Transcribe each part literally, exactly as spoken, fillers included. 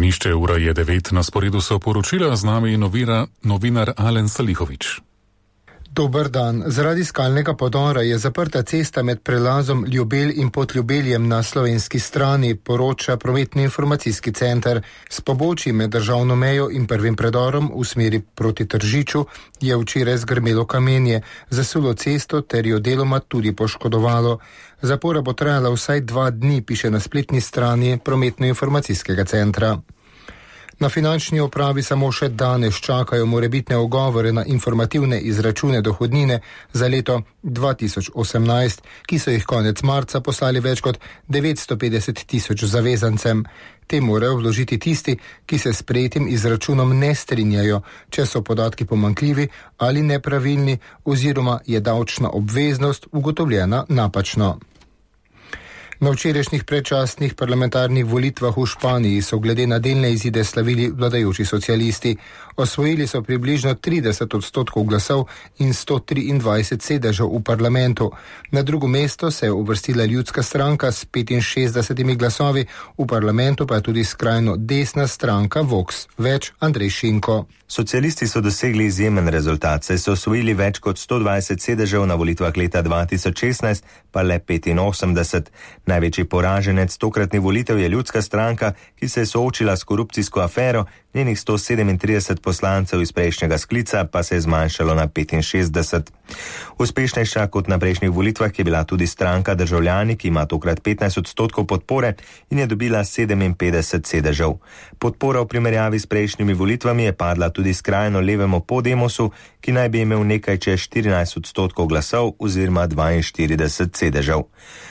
Ognišče, ura je devet, na sporedu so poročila, z nami novira, novinar Alen Salihovič. Dober dan. Zaradi skalnega podora je zaprta cesta med prelazom Ljubelj in Podljubeljem na slovenski strani, poroča prometno-informacijski center. S pobočji med državno mejo in prvim predorom v smeri proti Tržiču je včeraj zgrmelo kamenje, zasulo cesto ter jo deloma tudi poškodovalo. Zapora bo trajala vsaj dva dni, piše na spletni strani prometno-informacijskega centra. Na finančni upravi samo še danes čakajo morebitne ogovore na informativne izračune dohodnine za leto dva tisoč osemnajst, ki so jih konec marca poslali več kot devetsto petdeset tisoč zavezancem. Te morajo vložiti tisti, ki se s sprejetim izračunom ne strinjajo, če so podatki pomanjkljivi ali nepravilni oziroma je davčna obveznost ugotovljena napačno. Na včerajšnjih predčasnih parlamentarnih volitvah v Španiji so glede na delne izide slavili vladajoči socialisti. Osvojili so približno trideset odstotkov glasov in sto triindvajset sedežev v parlamentu. Na drugo mesto se je uvrstila Ljudska stranka s petinšestdesetimi glasovi, v parlamentu pa je tudi skrajno desna stranka Vox. Več Andrej Šinko. Socialisti so dosegli izjemen rezultat, saj so osvojili več kot sto dvajset sedežev, na volitvah leta dva tisoč šestnajst pa le petinosemdeset. Največji poraženec tokratnih volitev je Ljudska stranka, ki se je soočila s korupcijsko afero, njenih sto sedemintrideset poslancev iz prejšnjega sklica pa se je zmanjšalo na petinšestdeset. Uspešnejša kot na prejšnjih volitvah je bila tudi stranka Državljani, ki ima tokrat petnajst odstotkov podpore in je dobila sedeminpetdeset sedežev. Podpora v primerjavi s prejšnjimi volitvami je padla tudi skrajno levemu Podemosu, ki naj bi imel nekaj čez štirinajst odstotkov glasov oziroma dvainštirideset sedežev.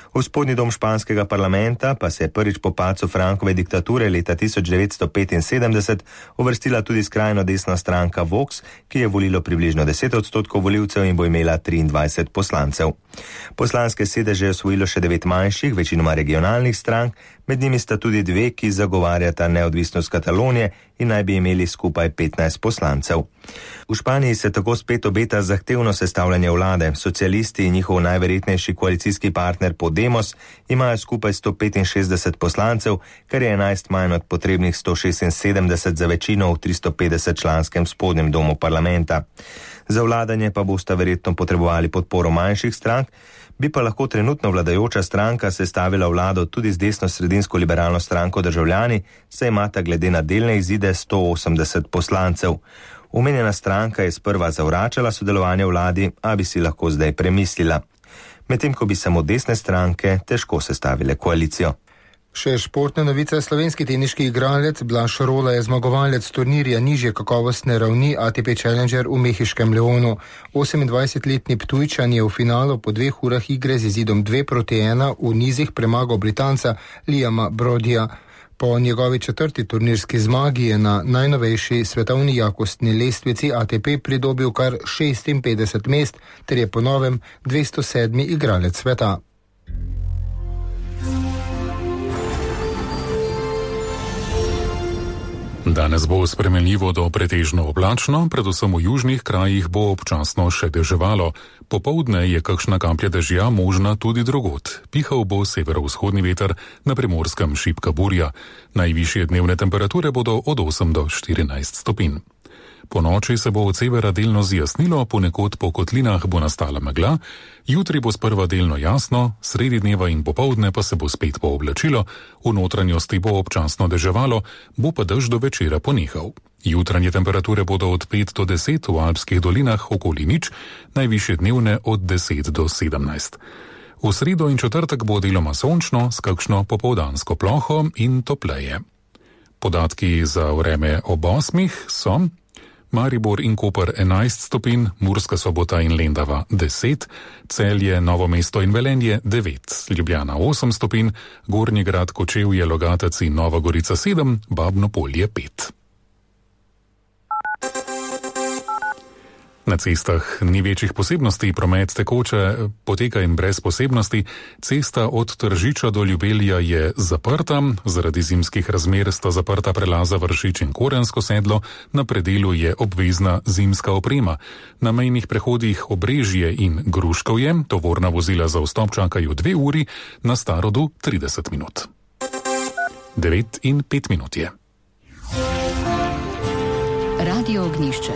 V spodnji dom španskega parlamenta pa se je prvič po padcu Frankove diktature leta tisoč devetsto petinsedemdeset uvrstila tudi skrajno desna stranka Vox, ki je volilo približno deset odstotkov volivcev in bo imela triindvajset poslancev. Poslanske sedeže je osvojilo še devet manjših, večinoma regionalnih strank, med njimi sta tudi dve, ki zagovarjata neodvisnost Katalonije in naj bi imeli skupaj petnajst poslancev. V Španiji se tako spet obeta zahtevno sestavljanje vlade. Socialisti in njihov najverjetnejši koalicijski partner Podemos imajo skupaj sto petinšestdeset poslancev, kar je enajst manj od potrebnih sto šestinsedemdeset za večino v tristo petdeset članskem spodnjem domu parlamenta. Za vladanje pa bosta verjetno potrebovali podporo manjših strank, bi pa lahko trenutno vladajoča stranka sestavila vlado tudi z desno-sredinsko liberalno stranko Državljani, saj imata glede na delne izide sto osemdeset poslancev. Omenjena stranka je sprva zavračala sodelovanje v vladi, a bi si lahko zdaj premislila. Medtem ko bi samo desne stranke težko sestavile koalicijo. Še športne novice. Slovenski teniški igralec Blaž Rola je zmagovalec turnirja nižje kakovostne ravni A T P Challenger v mehiškem Leonu. osemindvajsetletni Ptujčan je v finalu po dveh urah igre z izidom dve proti ena v nizih premagal Britanca Liama Brodija. Po njegovi četrti turnirski zmagi je na najnovejši svetovni jakostni lestvici A T P pridobil kar šestinpetdeset mest, ter je po novem dvesto sedmi igralec sveta. Danes bo spremenljivo do pretežno oblačno, predvsem v južnih krajih bo občasno še deževalo. Popoldne je kakšna kaplja dežja možna tudi drugod. Pihal bo severovzhodni veter, na Primorskem šibka burja. Najvišje dnevne temperature bodo od osem do štirinajst stopinj. Po noči se bo od severa delno zjasnilo, ponekod po kotlinah bo nastala megla, jutri bo sprva delno jasno, sredi dneva in popoldne pa se bo spet pooblačilo, v notranjosti bo občasno deževalo, bo pa dež do večera ponehal. Jutranje temperature bodo od pet do deset, v alpskih dolinah okoli nič, najvišje dnevne od deset do sedemnajst. V sredo in četrtek bo deloma sončno, s kakšno popoldansko ploho in topleje. Podatki za vreme ob osmih so: Maribor in Koper enajst stopinj, Murska Sobota in Lendava deset, Celje, Novo mesto in Velenje devet, Ljubljana osem stopinj, Gornji Grad, Kočevje, Logatec in Nova Gorica sedem, Babno Polje pet. Na cestah ni večjih posebnosti, promet tekoče poteka in brez posebnosti. Cesta od Tržiča do Ljubelja je zaprta, zaradi zimskih razmer sta zaprta prelaza Vršič in Korensko sedlo, na predelu je obvezna zimska oprema. Na mejnih prehodih Obrežje in Gruškovje tovorna vozila za vstop čakajo dve uri, na Starodu trideset minut. devet in pet minut je. Radio Ognišče.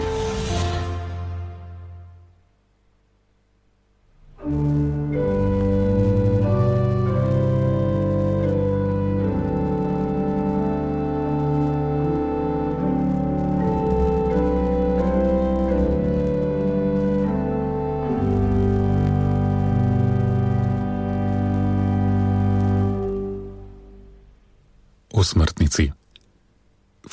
O smrtnici.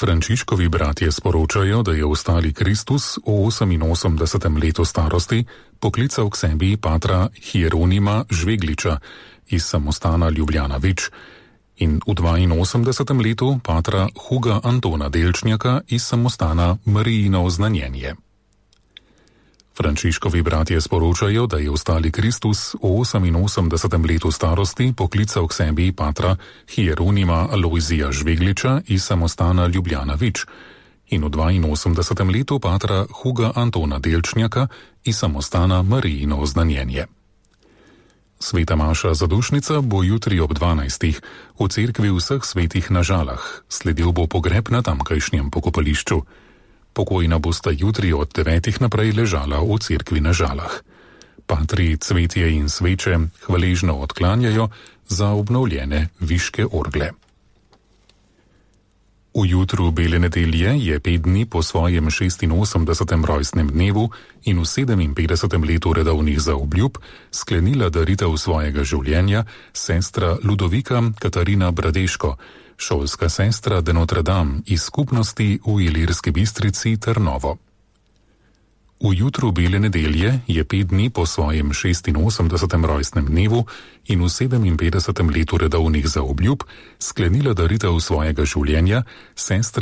Frančiškovi bratje sporočajo, da je ostali Kristus v oseminosemdesetem letu starosti poklical k sebi patra Hieronima Žvegliča iz samostana Ljubljana Vič in v dvainosemdesetem letu patra Huga Antona Delčnjaka iz samostana Marijino oznanjenje. Frančiškovi bratje sporočajo, da je ostali Kristus v oseminosemdesetem letu starosti poklical k sebi patra Hieronima Alojzija Žvegliča iz samostana Ljubljana Vič in v dvainosemdesetem letu patra Huga Antona Delčnjaka iz samostana Marijino oznanjenje. Sveta maša zadušnica bo jutri ob dvanajstih v cerkvi vseh svetih na Žalah, sledil bo pogreb na tamkajšnjem pokopališču. Pokojna bosta jutri od devetih naprej ležala v cerkvi na Žalah. Patri cvetje in sveče hvaležno odklanjajo za obnovljene viške orgle. V jutru bele nedelje je pet dni po svojem šestinosemdesetem rojstnem dnevu in v sedeminpetdesetem letu redovnih zaobljub sklenila daritev svojega življenja sestra Ludovika Katarina Bradeško, šolska sestra de Notre Dame iz skupnosti v Ilirski Bistrici Trnovo. V jutru bele nedelje je pet dni po svojem šestinosemdesetem rojstnem dnevu in v sedeminpetdesetem letu redovnih zaobljub sklenila daritev svojega življenja sestra